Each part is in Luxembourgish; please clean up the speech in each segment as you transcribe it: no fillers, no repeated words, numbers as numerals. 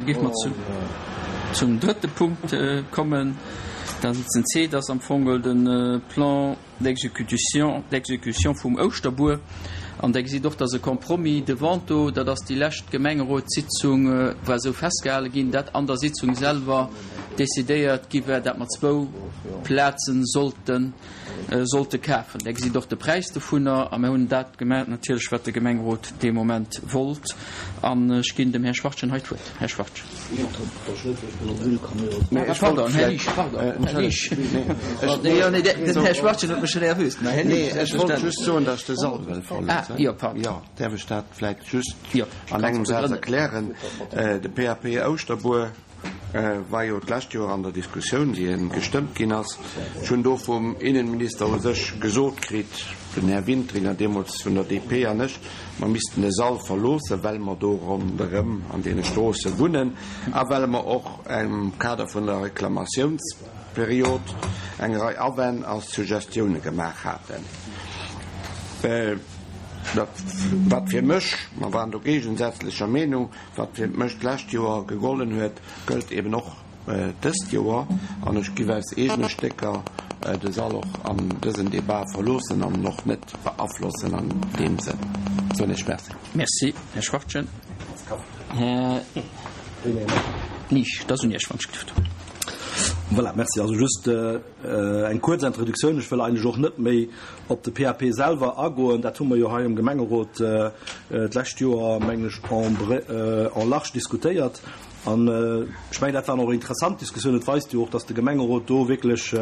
géife mer zum drëtte Punkt kommen. Dat ass den C, dat ass am Fong de Plan d'exécution, d'exécution vum Ouschterbuer. An Der gesitt och, dass e Compromis de vente do, dat ass déi lescht Gemengerotssitzung, war esou festgehale ginn, dat an der Sitzung selwer decidéiert gi war, dat mer zwou Plaze sollten, sollte kafen. Der gesitt och de Präis dovunner. A mir hunn dat gemaach natierlech, wat de Gemengerot dee Moment wollt. An ech ginn dem Här Schwachtgen hei d'Wuert. Här Schwachtgen. Pardon, Här Liesch, pardon, Här Liesch. Den Här Schwachtgen huet mech schon erwüst. Mä Här Liesch, Nee, ech wollt just soen, datt ech de Sall wëll verloossen. Ah, jo, pardon. Jo, däerf ech dat vläicht just Jo, an engem kannst Saz begrënnen. erklären? De PAP Ouschterbuer war jo d'lescht Joer an der Diskussioun, wéi e gestëmmt ginn ass. Ech hunn do vum Innenminister u sech gesot kritt, den Här Wintringer deemools vun der DP an ech, mer missten de Sall verloossen, well mer do ronderëm an deene Stroosse wunnen a well mer och am Kader vun der Reklamatiounsperiod eng Rei Awänn a Suggestioune gemaach haten. Dat, wat fir mech, mer waren do géigesätzlecher Meenung, Wat fir mech d'lescht Joer gegollen huet, gëllt eben och dëst Joer. An ech giff aus eegene Stécker de Sall och an dësen Debat verloossen an en och net beaflossen an deem Sënn. Soen Iech Merci. Merci, Här Schwachtgen. Här Liesch, et ass un Iech, wann ech gelift. Voilà, merci. Also just eng kuerz Introduktioun. Ech wëll eigentlech och net méi op de PAP selwer agoen. Dat hu mer jo hei am Gemengerot d'lescht Joer, mengen ech, en large diskutéiert. An ech mengen, dat waren och interessant Diskussiounen. Et weist jo och, dass de Gemengerot do wierklech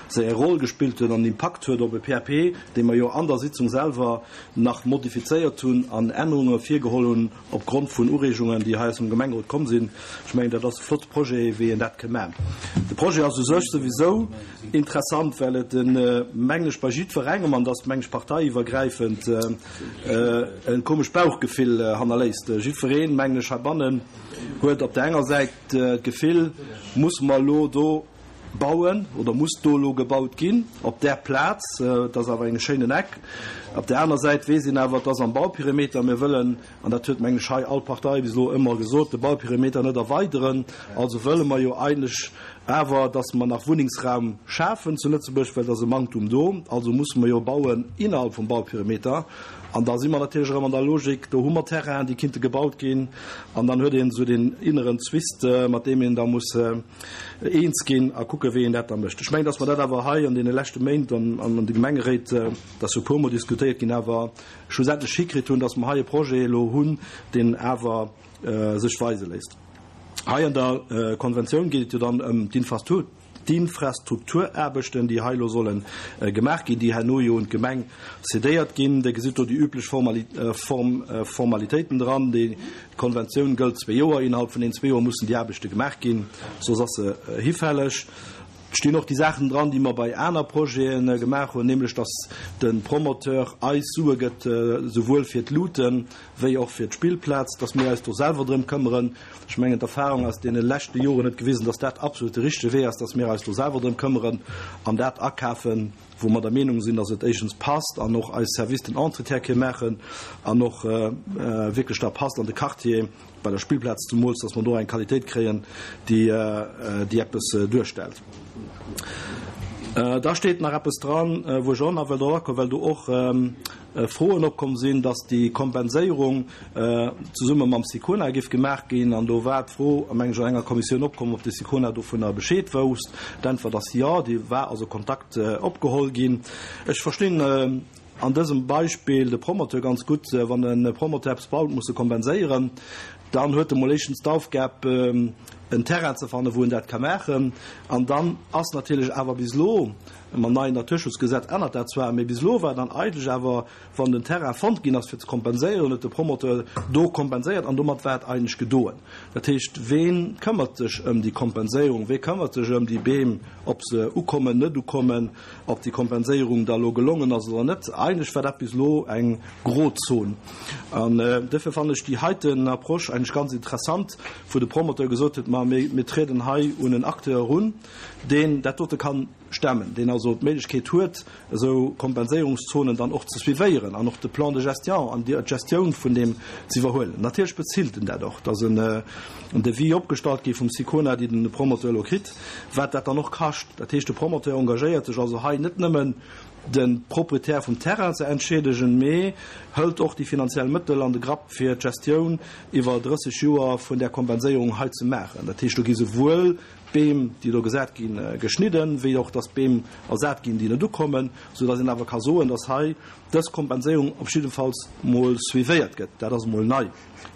séi Roll gespillt huet an Impakt huet op e PAP, dee mer jo an der Sitzung selwer nach modifizéiert hunn an Ännerunge virgeholl hunn Op Grond vun Ureegungen, déi hei aus dem Gemengerot komm sinn. Ech mengen, dat ass e flotte Projet, wéi een dat kënn maachen. De Projet ass u sech souwisou interessant, well et, mengen ech, bei jiddwerengem, an dat ass, mengen ech, parteiiwwergräifend, e komescht Bauchgefill hannerléisst. Jiddwereen, mengen ech, heibannen huet op där enger Säit d'Gefill, Musse mer elo do bauen oder muss do elo gebaut ginn op där Plaz? Et ass awer eng schéinen Eck. Op där aner Säit weess een awer, et ass am Bauperimeter. Mir wëllen, an dat huet mengen ech hei all Partei bis elo ëmmer gesot, de Bauperimeter net erweideren. Also wëlle mer jo eigentlech awer, datt mer nach Wunnengsraum schafen zu Lëtzebuerg, well et ass e Manktum do. Also musse mer jo bauen innerhalb vum Bauperimeter. An da si mer natierlech erëm an der Logik, do hu mer Terrainen, déi kinnte gebaut ginn. An dann huet een esou deen inneren Zwist, mat deem een da muss eens ginn a kucken, wéi een dat da mécht. Ech mengen, datt mer dat awer hei an deene leschte Méint an an de Gemengeréit, dat ass jo e puermol diskutéiert ginn, awer schlussendlech hikritt hunn, datt mer hei e Projet elo hunn, deen awer sech weise léisst. Hei an der Konventioun geet et jo dann ëm d'Infrastrukturaarbechten, déi hei elo solle gemaach ginn, déi herno jo un d'Gemeng cédéiert ginn. Dir gesitt do déi üblech Formalitéiten dran. Déi D'Konventioun gëllt zwee Joer. Innerhalb vun deenen zwee Joer mussen déi Aarbechte gemaach ginn, soss ass se hifälleg. Et stinn och déi Saachen dran, déi mer bei aner Projete gemaach hunn, nämlech datt de Promoteur eis Sue gëtt, souwuel fir d'Luute wéi och fir d'Spillplaz, datt mir eis do selwer drëm këmmeren. Ech mengen, d'Erfahrung aus deene leschte Joren huet gewisen, datt dat absolut de richtege Wee ass, datt mir eis do selwer drëm këmmeren an dat akafen, wou mer der Meenung sinn, dass et éischtens passt an och eis Service den Entretien ke maachen an och wierklech da passt an de Quartier, bei der Spillplaz zemools, dass mer do eng Qualitéit kréien, déi déi eppes duerstellt. Da steet nach eppes dran, wou ech och nach wëll drop akoen, well do och Froen opkomm sinn, dass déi Kompenséierung zesumme mam SICONA géif gemaach ginn. An do war d'Fro, meng ech, an enger Kommissioun opkomm, ob de SICONA dovunner Bescheed wousst. D'Äntwert ass jo, déi war also Kontakt opgeholl ginn. Ech verstinn an dësem Beispill de Promoteur ganz gutt. Wann e Promoteur eppes baut, muss e kompenséieren. Dann huet e mol éischtens d'Aufgab, en Terrain ze fannen, wou en dat ka maachen. An dann ass natierlech awer bis elo, Mam neien Naturschutzgesetz ännert dat zwar, mee bis elo war dann eigentlech awer, wann den Terrain fonnt ginn ass fir ze kompenséieren, huet de Promoteur do kompenséiert an domat war et eigentlech gedoen. Dat heescht, wee këmmert sech ëm déi Kompenséierung, wee këmmert sech ëm déi Beem, ob se ukommen, net ukommen, ob déi Kompenséierung da elo gelongen ass oder net? Eigentlech war dat bis elo eng Grozon. An duerfir fannen ech déi heiten Approche eigentlech ganz interessant, wou de Promoteur gesot huet, ma. mer, mir trieden hei un en Acteur erun, deen dat dote kann stemmen, deen also d'Méiglechkeet huet, esou Kompenséierungszonen dann och ze suivéieren an och de Plan de gestion an d'Gestioun vun deem ze iwwerhuelen. Natierlech bezilt en dat och, dass en Devis opgestallt gi vum Sicona, déi den Promoteur elo kritt, wat dat dann och kascht. Dat heescht, de Promoteur engagéiert sech also hei net nëmmen, de Proprietär vum Terrain ze entschiedegen, mee hëlt och déi finanziell Mëttel an de Grapp, fir d'Gestioun iwwer 30 Joer vun där Kompenséierung hei ze maachen. Dat heescht, do gi souwuel d'Beem, déi do gesat ginn, geschnidden, wéi och dass Beem ersat ginn, déi net ukommen, soudass een awer ka soen, dass hei dës Kompenséierung op jiddefalls mol suivéiert gëtt. Dat ass emol nei.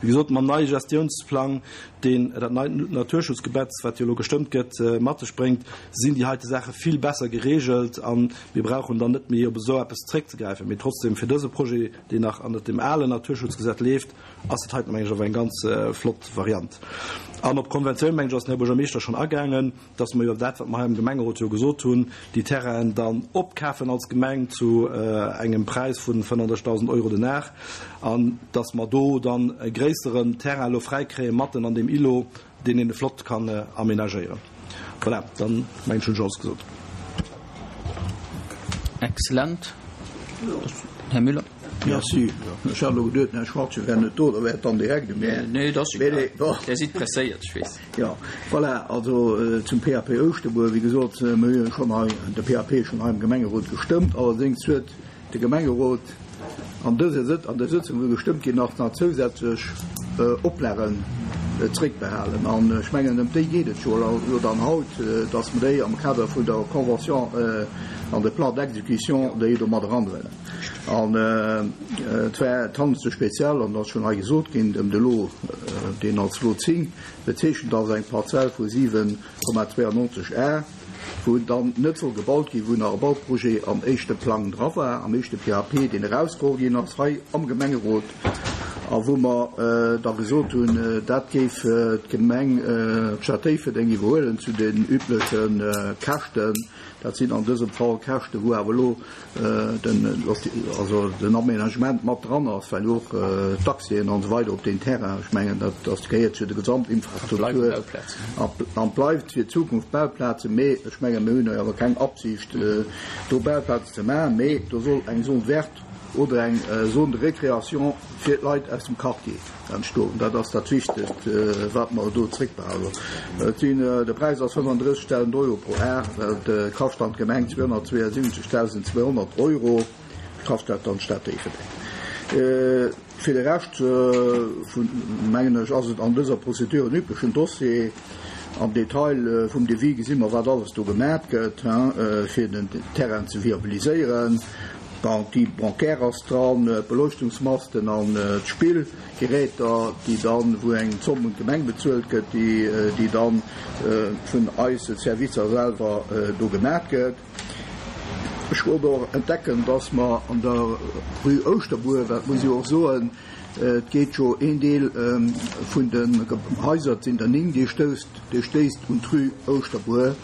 Wéi gesot, mam neie Gestiounsplang, deen dat neit Naturschutzgebetz, wat jo elo gestëmmt gëtt, mat sech bréngt, sinn déi heite Saache vill besser geregelt a mir brauchen dann net méi op esou eppes zréckzegräifen. Mee trotzdem, fir dëse Projet, deen nach ënnert dem alen Naturschutzgesetz leeft, ass dat heiten, meng ech, awer eng ganz flott Variant. An op d'Konventioun, meng ech, ass den Här Buergermeeschter schonn agaangen, dass mer jo dat, wat mer hei am Gemengerot jo gesot hunn, déi Terrainen dann opkafen als Gemeng zu engem Präis vu 35.000 Euro den Ar, an dass mer do dann e gréisseren Terrain elo fräikréie matten an deem Îlot, deen een flott kann aménagéieren. Voilà, dann mengen ech hunn ech alles gesot. Excellent. Här Müller. Merci. Ech hat elo geduet, den Här Schwartze wär net do, da wär et dann direkt u mir. Nee, et ass egal. Dir sidd presséiert, ech weess. Jo, voilà, also zum PAP Ouschterbuer, wéi gesot, mir hu jo schonn hei de PAP schonn hei am Gemengerot gestëmmt. Allerdéngs huet de Gemengerot an dëser Sëtz, an der Sëtzung, wou gestëmmt ginn ass, nach zousätzlech Oplagen zréckbehalen. An ech mengen, ëm déi geet et jo elo dann haut, dass mer déi am Kader vun der Convention an de Plan d'exécution déi do mat eranhuelen. An et war, et handelt sech speziell, an dat ass schonn hei gesot ginn, ëm de Lot, deen als Lot 10 bezeechent ass, eng Parzell vu 7,92 Ar, wou dann net soll gebaut ginn, wou nach e Bauprojet am éischte Plang dra war, am éischte PAP, deen erausgeholl ginn ass hei am Gemengerot a wou mer da gesot hunn, dat géif d'Gemeng, d'Stad Déifferdeng iwwerhuelen zu den übleche Käschten. Dat sinn an dësem Fall Käschten, wou awer elo den, also den Aménagement mat dran ass, well jo och d'Accèsen an esou weider op deen Terrain, ech mengen, dat ass, gehéiert zu der Gesamtinfrastruktur an bleift fir d'Zukunft Bauplazen. Mee ech mengen, mir hunn jo awer keng Absicht, do Bauplazen ze maachen, mee do soll eng Zone verte oder eng Zone de récréation fir d'Leit aus dem Quartier entstoen. Dat ass dat Wichtegst, wat mer do zréckbehalen. Et sinn, de Präis ass 35.000 Euro pro Ar, dat kascht dann d'Gemeng 272.200 Euro, kascht dat dann d'Stad Déifferdeng. Fir de Rescht vun, mengen ech, ass et an dëser Procédure en üblechen Dossier. Am Detail vum Devis gesi mer, wat alles do gemat gëtt, fir den Terrain ze viabiliséieren. D'Garantie bancaire ass dran, d'Beleuchtungsmasten an d'Spillgeräter, déi dann, wou eng Zomm un d'Gemeng bezuelt gëtt, déi dann vun eise Servicer selwer do gemat gëtt. Ech wollt och entdecken, dass mer an der Rue Ouschterbuer, dat muss ech och soen, et geet jo een Deel vun den Haiser, et sinn der 9, dee stousst, dee stéisst un d'Rue Ouschterbuer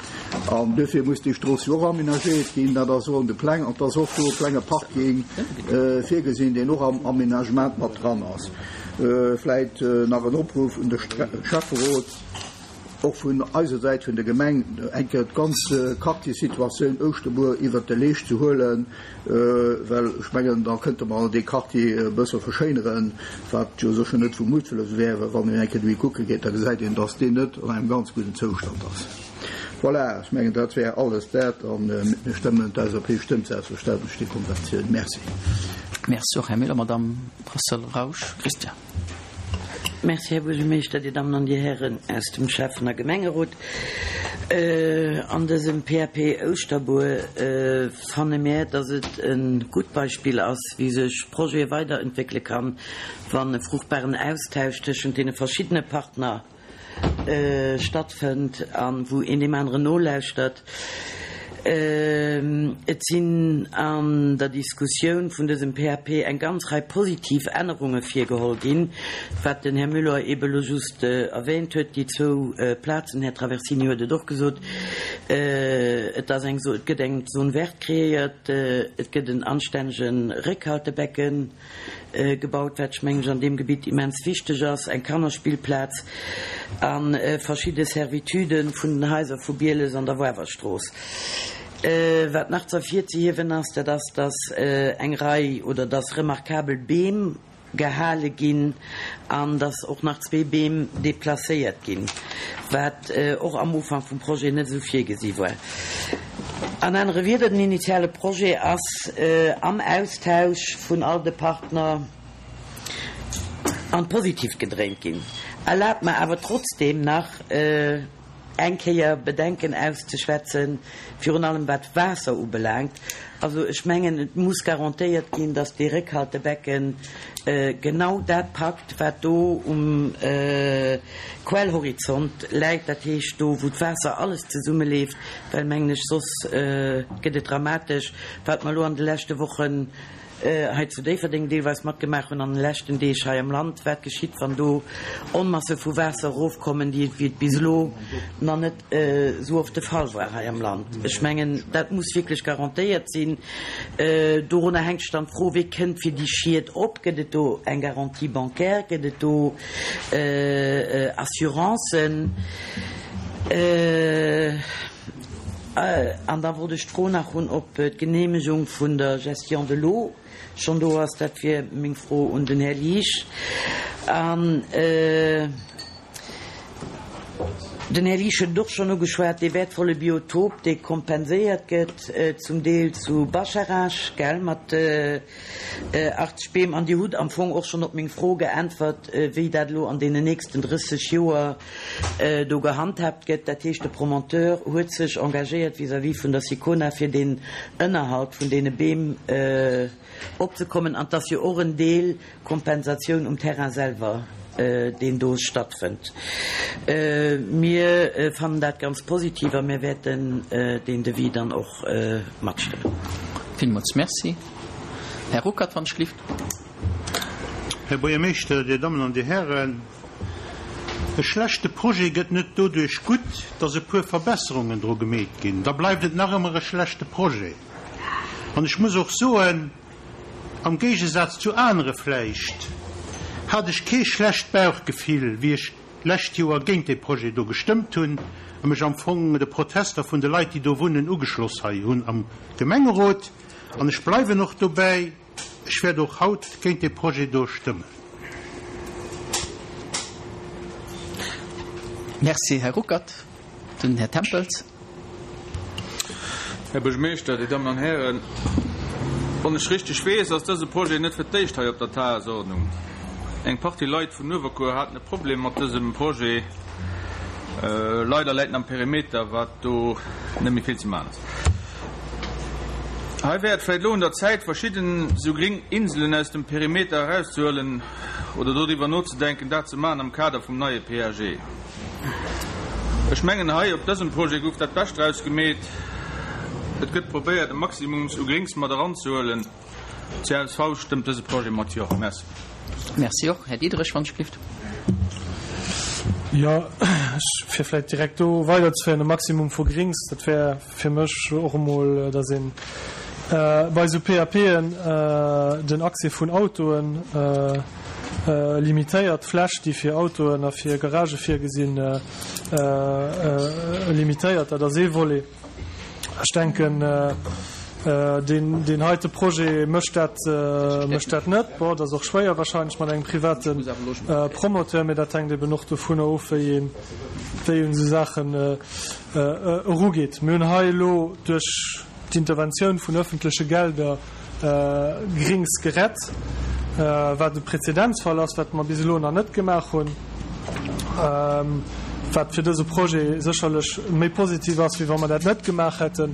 an duerfir muss déi Strooss jo och aménagéiert ginn. Dat ass och an de Pläng an et ass och do e klenge Parking virgesinn, deen och am Aménagement mat dran ass. Vläit nach en Opruff un de Schäfferot. Och vun eiser Säit vun der Gemeng eng Kéier d'ganz Quartiersituatioun Ouschterbuer iwwert de Leescht ze huelen, well ech mengen, da kënnte mer dee Quartier e bësse verschéineren, wat jo sécher net vu Muttwëlles wär, well wann een eng Kéier dohi kucke geet, da gesäit een, dass deen net an engem ganz gudden Zoustand ass. Voilà, ech mengen, dat wär alles dat a mir stëmmen, d'LSAP stëmmt selbstverständlech déi Konventioun. Merci. Merci och, Här Miller. Madamm Brassel-Rausch, Christiane. Merci, Här Buergermeeschter, Dir Dammen an Dir Hären aus dem Schäffen a Gemengerot. An dësem PAP Ouschterbuer fanne mär, dass et e gutt Beispill ass, wéi sech Projete weiderentwéckele kann, wann e fruchtbaren Austausch tëschent deene verschiddene Partner stattfënnt a wou een deem aneren nolauschtert. Et sinn an der Diskussioun vun dësem PAP eng ganz Rei positiv Ännerunge virgeholl ginn, wat den Här Müller eebe lo just erwähnt huet, déi zwou Plazen, den Här Traversini huet et och gesot, et ass eng, et gëtt eng Zone verte kreéiert, et gëtt en anstännege Réckhaltebecken gebaut, wat ech mengen ech an deem Gebitt immens wichteg ass, eng Kannerspillplaz a verschidde Servitudë vun den Haiser vu Bieles an der Woarwerstrooss. Wat nach ze ervirzehiewen ass, dat ass, dass eng Rei oder dass remarkabel Beem gehale ginn an dass och nach zwee Beem deplacéiert ginn, wat och am Ufank vum Projet net esou virgesi war. An anere Wieder, den initiale Projet ass am Austausch vun all de Partner an d'Positivt gedréint ginn. Erlaabt mer awer trotzdeem nach eng Kéier Bedenken auszeschwätzen, virun allem wat d'Waasser ubelaangt. Also ech mengen, et muss garantéiert ginn, dass dee Réckhaltebecken genau dat packt, wat do um Quellhorizont läit, dat heescht do, wou d'Waasser alles zesummeleeft, well, mengen ech, soss gëtt et dramatesch, wat mer elo an de leschte Wochen hei zu Déifferdeng deelweis matgemaach hunn, an de leschten Deeg hei am Land, wat geschitt, wann do Onmasse vu Waasser erofkommen, déi et, wéi et bis elo nach net esou oft de Fall war hei am Land. Ech mengen, dat muss wierklech garantéiert sinn. Dorunner hänkt sech dann d'Fro, Wie kënnt fir déi Schied op? Gëtt et do eng Garantie bancaire? Gëtt et do Assurancen? An da wollt ech d'Fro nach hunn, ob d'Geneemegung vun der Gestion de l'eau schonn do ass. Dat wier meng Fro un den Här Liesch. An den Här Liesch huet et och schonn ugeschwat, dee wäertvolle Biotop, dee kompenséiert gëtt zum Deel zu Bascharage, gell, mat 80 Beem. An Dir hutt am Fong och schonn op meng Fro geäntwert, wéi dat elo an deenen nächsten 30 Joer do gehandhaabt gëtt. Dat heescht, de Promoteur huet sech engagéiert vis-à-vis vun der Sicona, fir deen Ënnerhalt vun deene Beem opzekommen. An 't ass jo och en Deel Kompensatioun um Terrain selwer, deen do stattfënnt. Mir fannen dat ganz positiv a mir wäerten deen Devis dann och matstëmmen. Villmools Merci. Här Ruckert, wann ech gelift. Här Buergermeeschter, Dir Dammen an Dir Hären, e schlechte Projet gëtt net doduerch gutt, datt e puer Verbesserungen dru gemeet ginn. Da bleift et nach ëmmer e schlechte Projet. An ech muss och soen, am Géigesaz zu anere vläicht, hat ech kee schlecht Bauchgefill, wéi ech d'lescht Joer géint dee Projet do gestëmmt hunn a mech am Fong de Protester vun de Leit, déi do wunnen, ugeschloss hei hunn am Gemengerot. An ech bleiwen och dobäi, ech wäert och haut géint dee Projet do stëmmen. Merci, Här Ruckert. Den Här Tempels. Här Buergermeeschter, Dir Dammen an Hären, wann ech richteg weess, ass dëse Projet net fir d'éischt hei op der Tagesordnung. Eng Partie Leit vun Uewerkuer haten e Problem mat dësem Projet. Leider läit en am Perimeter, wat do net méi vill ze maachen ass. Hei wär et vläicht elo un der Zäit, verschidden esou gréng Inselen aus dem Perimeter erauszehuelen oder doriwwer nozedenken, dat ze maachen am Kader vum neie PAG. Ech mengen hei op dësem Projet gouf dat Bescht draus gemeet. Et gëtt probéiert e Maximums u Gréngs mat eranzehuelen. Csv stëmmt dëse Projet mat Jo. Merci. Merci och. Här Diderich, wann ech gelift. Jo, ech, fir vläicht direkt do weiderzeféieren, e Maximum vu Gréngs, dat wär fir mech och emol, datt een bei esou PAPen den Accès vun Autoen limitéiert, d'Fläch, déi fir Autoen a fir Garagë virgesinn, limitéiert. Dat ass ee Volet. Ech denken, deen heite Projet mécht dat, mécht dat net. Bon, et ass och schwéier wahrscheinlech mat engem private Promoteur, mee dat hänkt eben och dovunner of, wéi een, wéi een esou Saachen erugeet. Mir hunn hei elo duerch d'Interventioun vun öffentleche Gelder Grings gerett, wat e Präzedenzfall ass, wat mer bis elo nach net gemaach hunn, wat fir dëse Projet sécherlech méi positiv ass, wéi wa mer dat net gemaach hätten.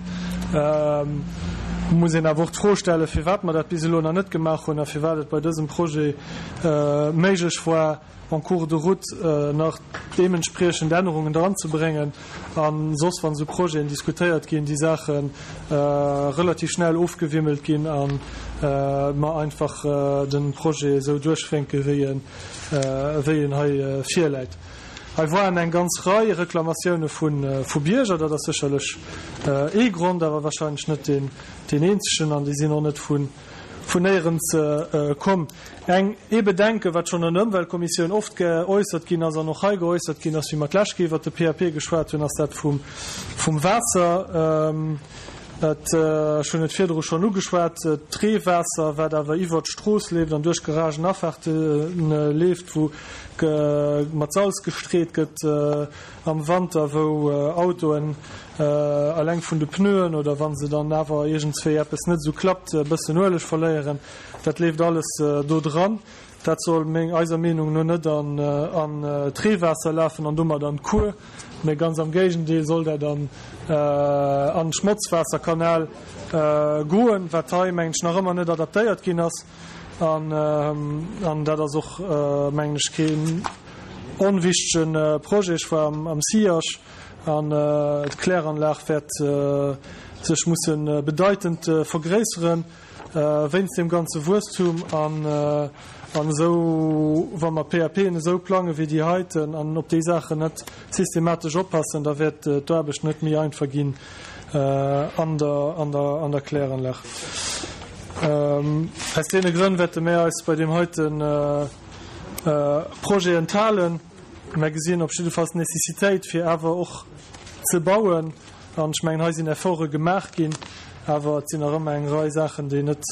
Muss een awer och d'Fro stellen, firwat mer dat bis elo nach net gemaach hunn a firwat et bei dësem Projet méiglech war, en cours de route nach deementspriechend Ännerungen dranzebréngen a soss, wann esou Projeten diskutéiert ginn, déi Saache relativ schnell ofgewimmelt ginn a mer einfach de Projet esou duerchwénke wéi en hei virläit. Hei waren eng ganz Rei Reklamatioune vu Bierger, dat ass sécherlech ee Grond, awer wahrscheinlech net deen eenzegen, an déi sinn och net vun néierens komm. Eng, ee Bedenken, wat schonn an der Ëmweltkommissioun oft geäussert ginn ass an och hei geäussert ginn ass, wéi mer d'lescht Kéier iwwert de PAP geschwat hunn, ass dat vum Waasser. Et, ech hunn et virdru schonn ugeschwat, d'Reewaasser, wat awer iwwert d'Strooss leeft an duerch Garagenafaarte leeft, wou mat Salz gestreet gëtt am Wanter, wou Autoen eleng vun de Pneuen oder wa se dann awer iergendswéi eppes net esou klappt, e bëssen Ueleg verléieren, dat leeft alles do dran. Dat soll eiser Meenung no net an d'Reewaasser lafen an domat an d'Kuer, mä ganz am Géigendeel soll dat an an Schmotzwaasserkanal goen, wat hei, mengen ech, nach ëmmer net adaptéiert ginn ass. An dat ass och, mengen ech, keen onwichtege Projet. Ech war am SIAG an d'Kläranlag wäert sech musse bedeitend vergréisseren. Wéinst deem ganze Wuesstum an esou, wa mer PAPen esou plange wéi déi heiten an op déi Saachen net systematesch oppassen, da wäert d'Aarbecht net méi einfach ginn an der Kläranlag. Aus deene Grënn wäerte mir eis bei deem heite Projet enthalen. Mer gesinn op jiddefalls d'Nécessitéit, fir awer och ze bauen. An ech mengen, hei sinn Efforte gemaach ginn, awer et sinn nach ëmmer eng Rei Saachen, déi net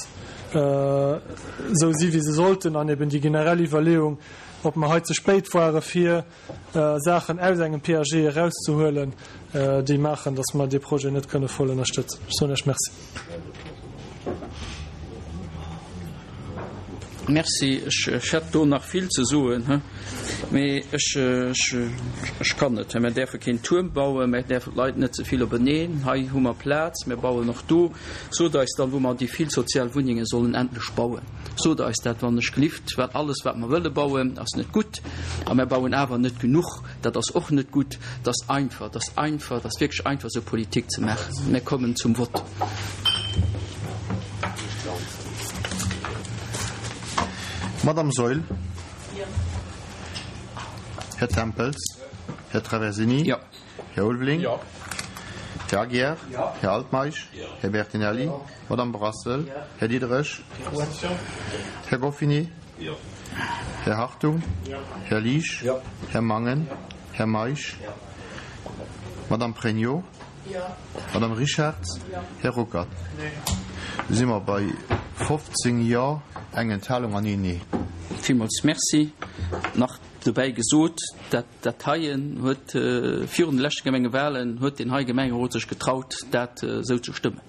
esou si wéi se sollten. An eben déi generell Iwwerleeung, ob mer hei ze spéit ware fir Saachen aus engem PAG erauszehuelen, déi maachen, datt mer dee Projet net kënne voll ënnerstëtzen. Ech soen Iech Merci. Merci. Ech hätt do nach vill ze soen, mee ech kann net. Mir däerfe keen Tuerm bauen, mir däerfen d'Leit net ze vill openeen. Hei hu mer Plaz, mir bauen och do. Sot eis dann, wou mer déi vill sozial Wunnenge sollen endlech bauen. Sot eis dat, wann ech glift, well alles, wat mer wëlle bauen, ass net gutt. A mer bauen awer net genuch, dat ass och net gutt. Et ass einfach, et ass einfach, et ass wierklech einfach, esou Politik ze maachen. Mir kommen zum Vott. Madame Saeul. Här Tempels. Här Traversini. Här Ulveling. Här Aguiar. Här Altmeisch. Här Bertinelli. Madame Brassel. Här Diderich. Här Goffinet. Här Hartung. Här Liesch. Här Mangen. Här Meisch. Madame Pregno. Madame Richartz, Här Ruckert. Da si mer bei 15 Jo, eng Enthalung an een Nee. Villmools Merci. Nach dobäi gesot, dat dat heien huet virun de leschte Gemengewahlen huet deen hei Gemengerot sech getraut, dat esou ze stëmmen.